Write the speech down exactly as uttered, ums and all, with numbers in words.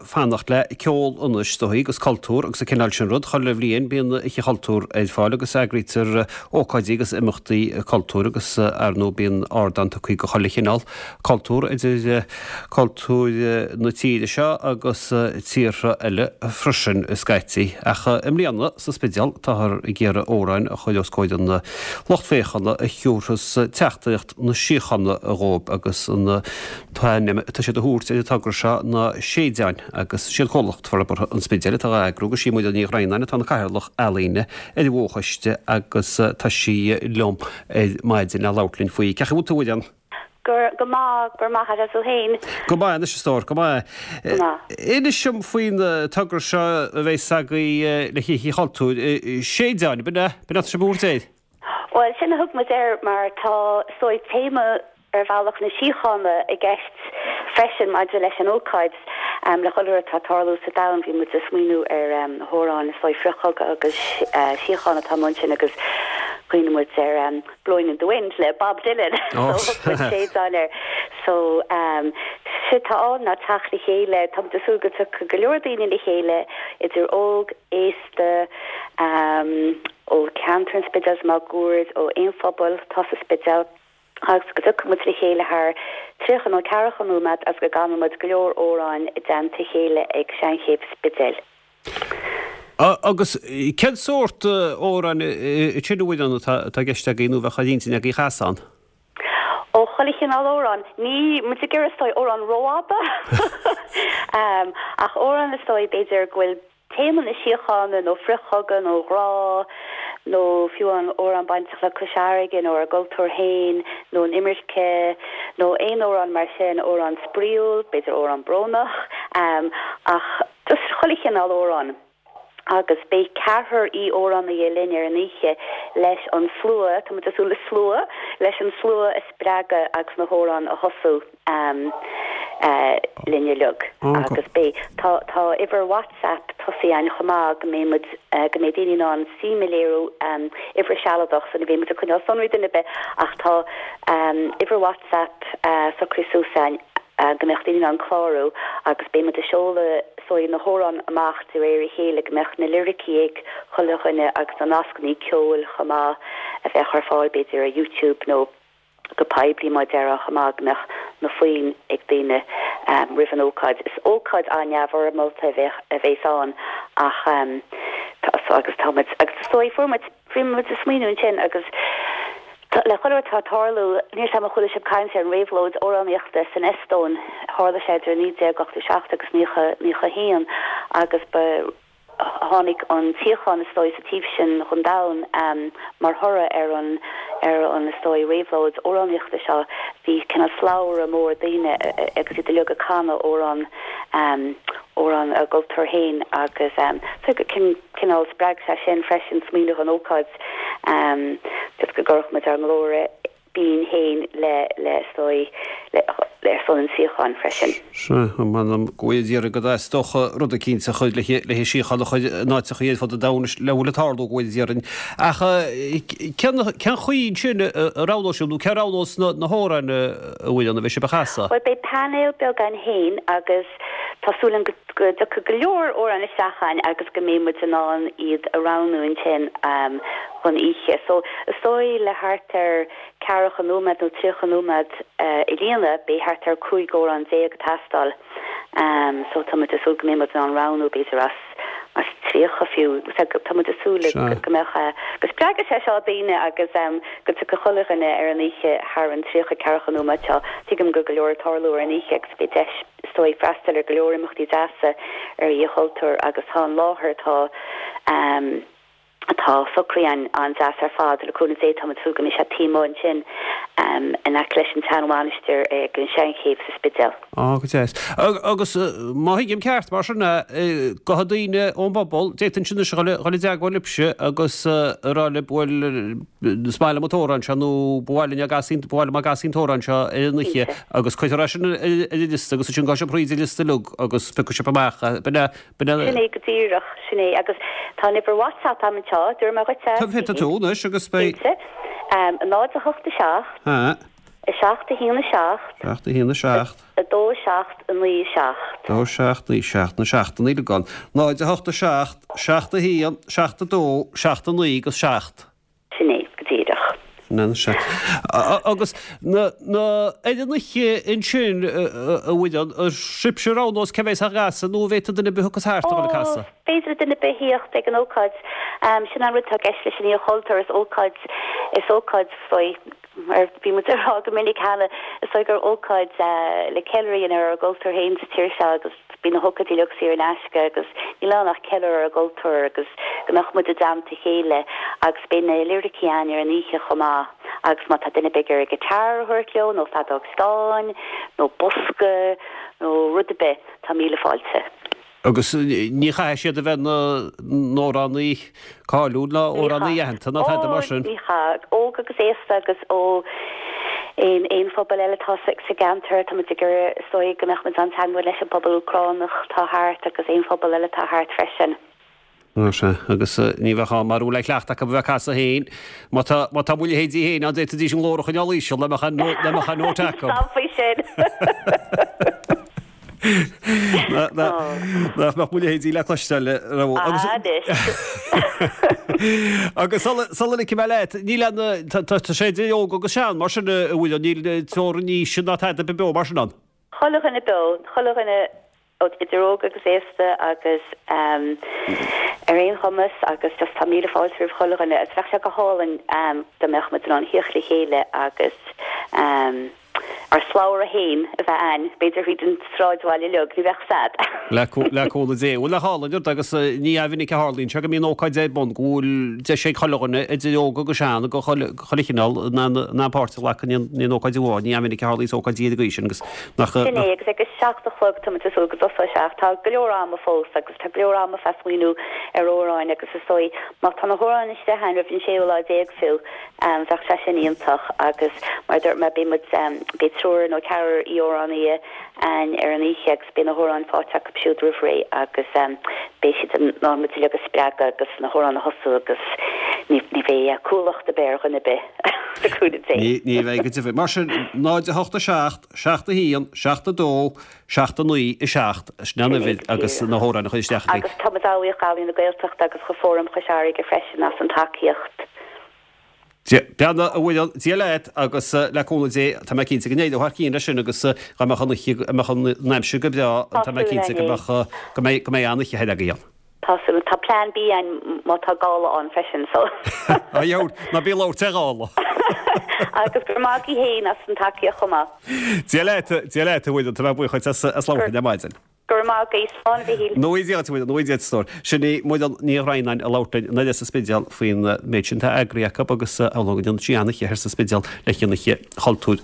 Fanacht le ceol anois is dóigh agus cultúr agus an cineál sin rud. Chuile bhliain bíonn Oíche Chultúir ar fáil agus eagraítear ócáidí agus imeachtaí cultúir agus ar ndóigh bíonn ardán tugtha do chuile chineál cultúr idir cultúr na tíre seo agus tíortha eile freisin scaití. Ach i mbliana sa Spidéal táthar ag iarraidh amhráin a chur os comhair an lucht féachana a thabharfas teachtaireacht na síochána dhóibh agus an t-ainm atá siad a thabhairt ar an togra seo ná Séideáin agus is iad Comhlacht Forbartha an Spidéil atá á eagrú agus sí Muireann Ní Dhroighneáin atá ina cathaoirleach ealaíne ar an bhfochoiste agus tá sí liom ar maidin le labhairt linn faoi. Cén chaoi a bhfuil tú, a Mhuireann? Go maith, go raibh maith agat tú féin. Go maith anois a stór, go maith. Go maith. Inis dom faoin togra seo a bheas agaibh le hOíche Chultúir. Séideáin, b'in é? B'in é atá sibh a thabhairt air? Bhuel, sin a thug muid air mar tá, is dóigh, téama ar bhealach na síochána i gceist freisin maidir leis an ócáid. Le chuile rud atá ag tarlú sa domhan, bhí muid ag smaoineamh ar na hamhráin is dóigh frithchogadh agus síochána atá amuigh ansin agus chuimhnigh muid ar Blowing in the Wind le Bob Dylan so thug muid Séideáin air. So séard atá ann ná teacht le chéile, tá muid ag súil go dtiocfaidh go leor daoine le chéile idir óg, aosta, ó cheantar an Spidéil is máguaird, ó aon phobal atá sa Spidéal agus go dtiocfaidh muid le chéile thar tríocha nó ceathracha nóiméad agus go gcanfaidh muid go leor amhráin i dteannta a chéile ag Seanchéibh Spidéil. Agus cén sórt amhráin sin a Mhuireann atá i gceist agaibh nó a bheadh ar intinn agaibh a chasadh ann? Ó, chuile chineál amhrán. Níl muid ag iarraidh is dóigh amhrán rófhada ach amhrán is dóigh b'fhéidir go bhfuil téama na síochána nó frithchogadh nó grá nó fiú amhrán bainteach le Cois Fharraige nó ár gcultúr féin nó an imirce nó aon amhrán mar sin, amhrán spraíúil, b'fhéidir amhrán brónach, ach just chuile chineál amhrán. Agus beidh ceathrar aoi-amhránaithe linn ar an oíche leis an slua, tá muid ag súil le slua, leis an slua a spreagadh agus na hamhráin a thosú linn uilig. Agus beidh, tá, tá uimhir WhatsApp tosaithe againn chomh maith go mbeidh muid, go mbeidh daoine in ann suim a léiriú, uimhir sealadach so ní bheidh muid ag coinneáil sonraí duine ar bith ach tá uimhir WhatsApp socraithe suas againn go mbeadh daoine in ann clárú agus beidh muid ag seoladh is dóigh na hamhráin amach de réir a chéile go mbeadh na liricí ag chuile dhuine agus na nascanna ceoil chomh maith a bheadh ar fáil b'fhéidir ar YouTube nó go poiblí mar a déarfá chomh maith go mbeadh na foinn ag daoine roimh an ócáid. Is ócáid an-neamhfhoirmeálta a bheadh a bheas ann ach tá agus tá muid agus is dóigh fuair muid bhí muid ag smaoineamh ansin agus le chuile rud atá ag tarlú níl 's a'm ar chuala sibh caint ar an réabhlóid amhránaíochta san Eastóin tharla sé idir naoi déag ochtó seacht agus naocha naocha haon agus ba Tháinig an tsíocháin, is dóigh, sa taobh sin den domhan mar thoradh ar an, ar an, is dóigh, réabhlóid amhránaíochta seo. Bhí cineál slabhra mór daoine agus iad uilig ag canadh amhrán, amhrán a gcultúir féin agus so cineál spreag sé sin freisin smaoineamh an ócáid just go gcuirfeadh muid ár nglór binn féin le, le, is dóigh, le, le ar son an tsíocháin freisin. Sea, m'anam go bhfuil iarraidh go dteastódh rud eicínt a chur le, le síocháin a chur in áiteachaí ar fud an domhain le bhfuil ag tarlú go bhfuil déarfainn. Ach cén, cén chaoi ansin a roghnóidh sibh nó cé a roghnós na, na hamhráin a bhfuil ann a bheidh sibh a chasadh? Bhuel, beidh painéal beag againn féin agus tá súil agam go, go dtiocfaidh go leor amhrán isteach chugainn agus go mbeidh muid in ann iad a roghnú ansin don oíche. So, is dóigh le thart ar ceathracha nóiméad nó tríocha nóiméad a líonadh, beidh thart ar cúig amhrán déag ag teastáil. So tá muid ag súil go mbeidh muid in ann roghnú b'fhéidir as as tríocha fiú. Tá muid ag súil go mbeadh, go spreagfaidh sé seo daoine agus go dtiocfaidh chuile dhuine ar an oíche thar an tríocha ceathracha nóiméad seo. Tuigim go go leor ag tarlú ar an oíche agus beidh deis is dóigh freastal ar go leor imeachtaí deasa ar Oíche Chultúir agus tá an láthair atá atá socraithe againn an-deas ar fad. Le cúnamh Dé táimid ag súil go mbeidh sé taobh amuigh ansin in aice leis an tseanmhainistir ag an Seanchéibh sa Spidéal. Á, go deas. Agus má thuigim ceart, mar sin, go daoine ón bpobal, d'fhéadfainnse anois a dhul i dteagmháil libhse agus a rá libh, bhuel, is maith liom an t-amhrán seo nó ba mhaith linn á gcasadh, ba mhaith liom á gcasadh an t-amhrán seo ar an oíche agus cuirfear é sin ar an liosta agus ansin gabhfaidh sibh thríd an liosta uilig agus piocfaidh sibh amach, b'in é, Sin é go díreach, sin é. Agus tá an uimhir WhatsApp a'm anseo, dúirt mé dhuit é. Tá, tá tú anois agus beidh. Cinnte. Náid a hocht a seacht. A seacht a haon a seacht. Seacht a haon a seacht. A dó a seacht a naoi a seacht. Dó a seacht naoi seacht na seachtanna uilig ann. Náid a hocht a seacht, seacht a haon, seacht a dó, seacht a naoi agus seacht. Sin é, go díreach. Sin é, sea. Agus na, na, ar an oíche ansin, a Mhuireann, an sibhse a roghnós cé bheas á gcasadh nó an bhféadfadh duine ar bith a thiocfas thart a dhul ag casadh? Ó, is féidir le duine ar bith thíocht ag an ócáid. Sin an rud atá i gceist leis an Oíche Chultúir, is ócáid, is ócáid faoi, mar bhí muid ag rá go minic cheana, is dóigh gur ócáid le ceiliúradh a dhéanamh ar ár gcultúr féin sa tír seo agus bíonn na hócáidí uilig saor in aisce agus níl ann ach ceiliúradh ar ár gcultúr agus go mbeadh muid i dteannta a chéile agus beidh na liricí ann ar an oíche chomh maith agus má tá duine ar bith ag iarraidh guitar a thabhairt leo nó feadóg stáin nó bosca nó rud ar bith, tá míle fáilte. Agus ní chaithfidh siad a bheith ina n-amhránaí cáiliúil ná amhránaí aitheanta ná tada mar sin. Ní chaithfidh. Óg agus aosta agus ó aon aon phobal eile atá sa gceantar. Tá muid ag iarraidh is dóigh go mbeadh muid an-teagmháil leis an bpobal Úcránach atá thart agus aon phobal eile atá thart freisin. Á sea, agus ní bheadh ann mara bhfuil aon chleachtadh acu a bheith ag casadh féin. Má tá, má tá mo leithéidí féin ann d'fhéadfaidís an glór a choinneáil íseal dá mbeadh an, dá mbeadh an nóta acu. Stop faoi sin! Nach mbeadh mo leithéidí le cloisteáil raibh agus Agus sula ligfidh mé leat, níl aon, tá sé idir óg agus sean mar sin a bhfuil, níl teorainn aoise ná tada ar bith beo mar sin ann. Chuile dhuine beo, chuile dhuine idir óg agus aosta agus ar aon chumas agus just tá míle fáilte roimh chuile dhuine agus bheadh sé go hálainn dá mbeadh muid in ann thíocht le chéile agus ár slabhra féin a bheith a'ainn, b'fhéidir thríd an sráidbhaile uilig, ní bheadh sad. Le cúnamh Dé. Bhuel, nach álainn rud agus ní minic a tharlaíonn sé go mbíonn ócáid ar bun go bhfuil deis ag chuile dhuine, idir óg agus sean, de chuile chineál, in ann páirt a ghlacadh in aon ócáid amháin. Ní minic a tharlaíonn ócáidí ar an gcaoi sin agus nach. Sin é, agus ag a seacht a chlog tá muid ag súil go dtosóidh sé ach tá go leor ama fós agus tá go leor ama fá smaoineamh ar amhráin agus is dóigh má tá na hamhráin istigh a'ainn roimh an séú lá déag fiú, Bheadh sé sin iontach agus mar a dúirt mé beidh muid, beidh triúr nó ceathrar aoi-amhránaithe a'ainn ar an oíche agus beidh na hamhráin faighte acu siúd roimh ré agus beidh siad in ann muid uilig a spreagadh agus na hamhráin a thosú agus ní bheidh cumhlacht ar bith ar dhuine ar bith, le cúnamh Dé. Ní bheidh go deimhin. Mar sin, náid a hocht a seacht, seacht a haon, seacht a dó, seacht a naoi, a seacht, sin an uimhir agus na hamhráin a chur isteach agaibh. Agus tá muid an-bhuíoch d'Ealaín na Gaeltachta agus do Fóram Chois Fharraige freisin as an tacaíocht. Beannacht a Mhuireann, Dia leat agus le cúnamh Dé tá mé cinnte go n-éireoidh thar cionn leis sin agus dá mbeadh an oíche, mbeadh an aimsir go breá tá mé cinnte go mbeadh, go mbeidh, go mbeidh an-oíche thoir agaibh ann. Tá súil, tá plean B a'ainn má tá gála ann freisin so. Á dheabhail, ná bí ag labhairt ar ghála. Agus go raibh maith agaibh féin as an tacaíocht chomh maith. Dia leat, Dia leat a Mhuireann, tá mé buíoch dhuit as labhairt linn ar maidin. Go raibh maith agat, slán a Mhichíl. Go ngnóthaí Dia duit, a Mhuireann, go ngnóthaí Dia duit, a stór. Sin í Muireann Ní Dhroighneáin ag labhairt linn thoir sa Spidéal faoin méid sin atá eagraithe acu agus amhlaidh go ndéanfaidh sí an-oíche thoir sa Spidéal le haghaidh an Oíche Chultúir.